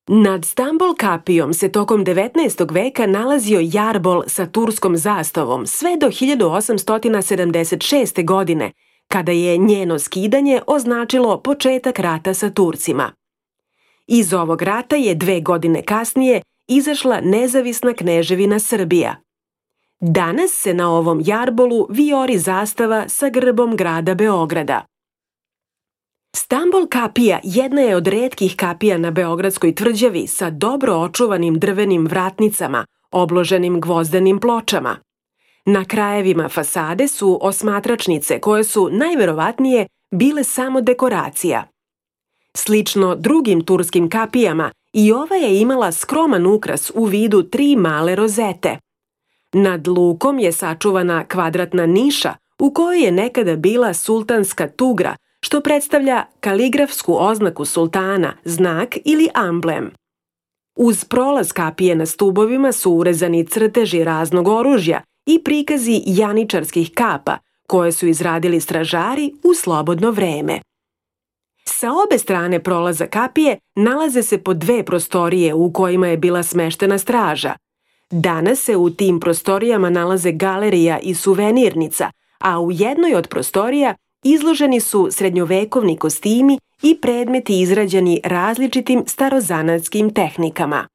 Nad Stambol kapijom se tokom 19. veka nalazio jarbol sa turskom zastavom sve do 1876. godine, kada je njeno skidanje označilo početak rata sa Turcima. Iz ovog rata je 2 godine kasnije izašla nezavisna kneževina Srbija. Danas se na ovom jarbolu vijori zastava sa grbom grada Beograda. Stambol kapija jedna je od retkih kapija na Beogradskoj tvrđavi sa dobro očuvanim drvenim vratnicama, obloženim gvozdenim pločama. Na krajevima fasade su osmatračnice koje su najverovatnije bile samo dekoracija. Slično drugim turskim kapijama, i ova je imala skroman ukras u vidu 3 male rozete. Nad lukom je sačuvana kvadratna niša u kojoj je nekada bila sultanska tugra, što predstavlja kaligrafsku oznaku sultana, znak ili amblem. Uz prolaz kapije na stubovima su urezani crteži raznog oružja i prikazi janičarskih kapa, koje su izradili stražari u slobodno vreme. Sa obe strane prolaza kapije nalaze se po 2 prostorije u kojima je bila smeštena straža. Danas se u tim prostorijama nalaze galerija i suvenirnica, a u jednoj od prostorija izloženi su srednjovekovni kostimi i predmeti izrađeni različitim starozanatskim tehnikama.